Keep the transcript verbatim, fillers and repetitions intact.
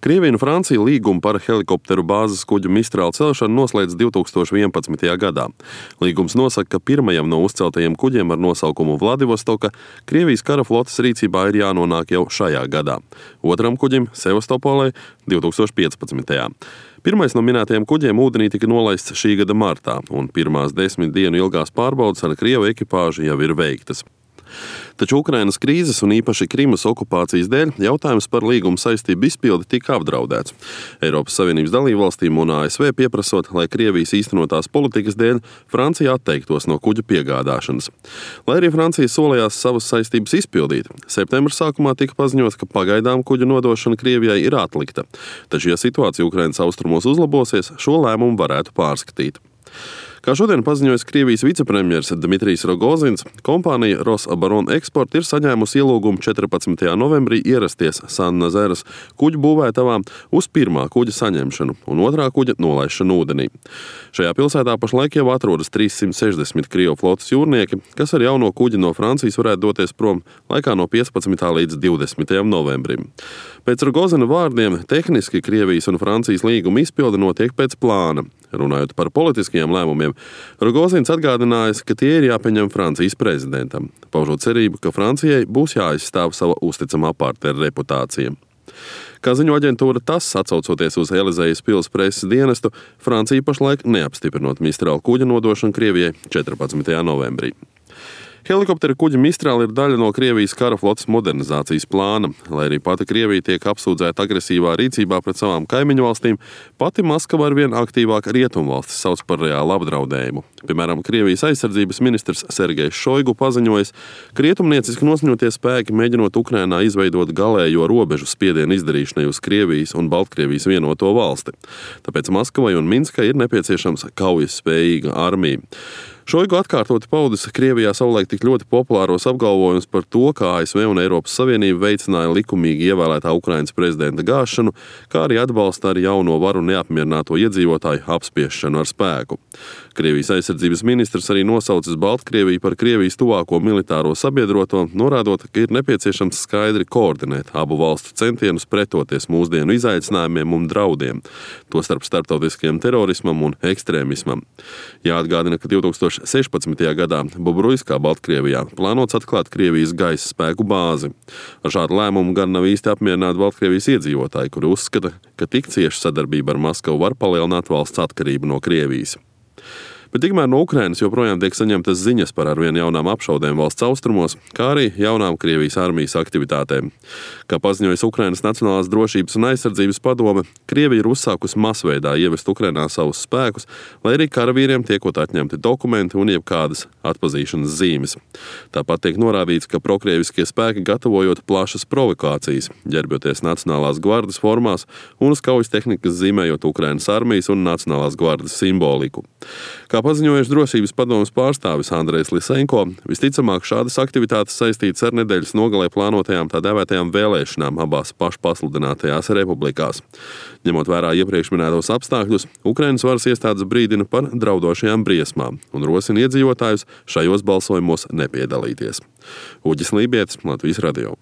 Krievija un Francija līgumu par helikopteru bāzes kuģu Mistral celšanu noslēdz divi tūkstoši vienpadsmitajā gadā. Līgums nosaka, ka pirmajam no uzceltajiem kuģiem ar nosaukumu Vladivostoka Krievijas kara flotes rīcībā ir jānonāk jau šajā gadā. Otram kuģim Sevastopolē divi tūkstoši piecpadsmitajā. Pirmais no minētajiem kuģiem ūdenī tika nolaists šī gada martā, un pirmās desmit dienu ilgās pārbaudes ar Krievu ekipāžu jau ir veiktas. Taču Ukrainas krīzes un īpaši Krimas okupācijas dēļ jautājums par līguma saistību izpildi tika apdraudēts. Eiropas Savienības dalībvalstīm un A S V pieprasot, lai Krievijas īstenotās politikas dēļ Francija atteiktos no kuģa piegādāšanas. Lai arī Francija solījās savas saistības izpildīt, septembra sākumā tika paziņots, ka pagaidām kuģa nodošana Krievijai ir atlikta. Taču, ja situācija Ukrainas austrumos uzlabosies, šo lēmumu varētu pārskatīt. Kā šodien paziņoja Krievijas vicepremjers Dmitrijs Rogozins, kompānija Rosabaron Export ir saņēmusi ielūgumu četrpadsmitajā novembrī ierasties San-Nazares kuģu būvētavā uz pirmā kuģa saņemšanu un otrā kuģa nolaišanu ūdenī. Šajā pilsētā pašlaik jau atrodas trīssimt sešdesmit Krievu flotes jūrnieki, kas ar jauno kuģi no Francijas varētu doties prom laikā no piecpadsmitā līdz divdesmitajam novembrim. Pēc Rogozina vārdiem, tehniski Krievijas un Francijas līguma izpilde notiek pēc plāna. Runājot par politiskajiem lēmumiem, Rogozins atgādinājis, ka tie ir jāpieņem Francijas prezidentam, paužot cerību, ka Francijai būs jāizstāv sava uzticamā partnera reputācija. Kā ziņo aģentūra TASS, atsaucoties uz Elizejas pils preses dienestu, Francija pašlaik neapstiprinot Mistral kuģa nodošanu Krievijai četrpadsmitajā novembrī. Helikoptera kuģa Mistral ir daļa no Krievijas kara flotes modernizācijas plāna. Lai arī pati Krievija tiek apsūdzēta agresīvā rīcībā pret savām kaimiņu valstīm, pati Maskava arvien aktīvāk rietumvalstis sauc par reālu apdraudējumu. Piemēram, Krievijas aizsardzības ministrs Sergejs Šoigu paziņojis, ka rietumnieciski noskaņotie spēki mēģinot Ukrainā izveidot galējo robežu spiedienu izdarīšanai uz Krievijas un Baltkrievijas vienoto valsti. Tāpēc Maskavai un Minskai ir nepieciešams kaujas spējīga armija. Šoigu atkārtoti paudis Krievijā savulaik tik ļoti populāros apgalvojumus par to, kā A S V un Eiropas Savienība veicināja likumīgi ievēlētā Ukrainas prezidenta gāšanu, kā arī atbalsta ar jauno varu neapmierināto iedzīvotāju apspiešanu ar spēku. Krievijas aizsardzības ministrs arī nosaucis Baltkrieviju par Krievijas tuvāko militāro sabiedroto, norādot, ka ir nepieciešams skaidri koordinēt abu valstu centienus pretoties mūsdienu izaicinājumiem un draudiem, tostarp starptautiskajam terorismam un ekstrēmismam. Jāatgādina, ka divi tūkstoši sešpadsmitajā gadā Bobruiskā, Baltkrievijā, plānots atklāt Krievijas gaisa spēku bāzi. Ar šādu lēmumu gan nav īsti apmierināti Baltkrievijas iedzīvotāji, kuri uzskata, ka tik cieša sadarbība ar Maskavu var palielināt valsts atkarību no Krievijas. Bet tikmēr no Ukrainas joprojām tiek saņemtas ziņas par arvien jaunām apšaudēm valsts austrumos, kā arī jaunām Krievijas armijas aktivitātēm. Kā paziņojas Ukrainas Nacionālās drošības un aizsardzības padome, Krievija ir uzsākusi masveidā ievest Ukrainā savus spēkus, lai arī karavīriem tiekot atņemti dokumenti un jebkādas atpazīšanas zīmes. Tāpat tiek norādīts, ka prokrieviskie spēki gatavojot plašas provokācijas, ģērbjoties Nacionālās gvardes formās un uz kaujas tehnikas zīmējot Ukrainas armijas un Nacionālās gvardes simboliku. Kā paziņojuši drošības padomes pārstāvis Andrejs Lisenko, visticamāk šādas aktivitātes saistītas ar nedēļas nogalē plānotajām tā dēvētajām vēlēšanām abās pašpasludinātajās republikās. Ņemot vērā iepriekš minētos apstākļus, Ukrainas varas iestādes brīdina par draudošajām briesmām un rosina iedzīvotājus šajos balsojumos nepiedalīties. Uģis Lībietis, Latvijas radio.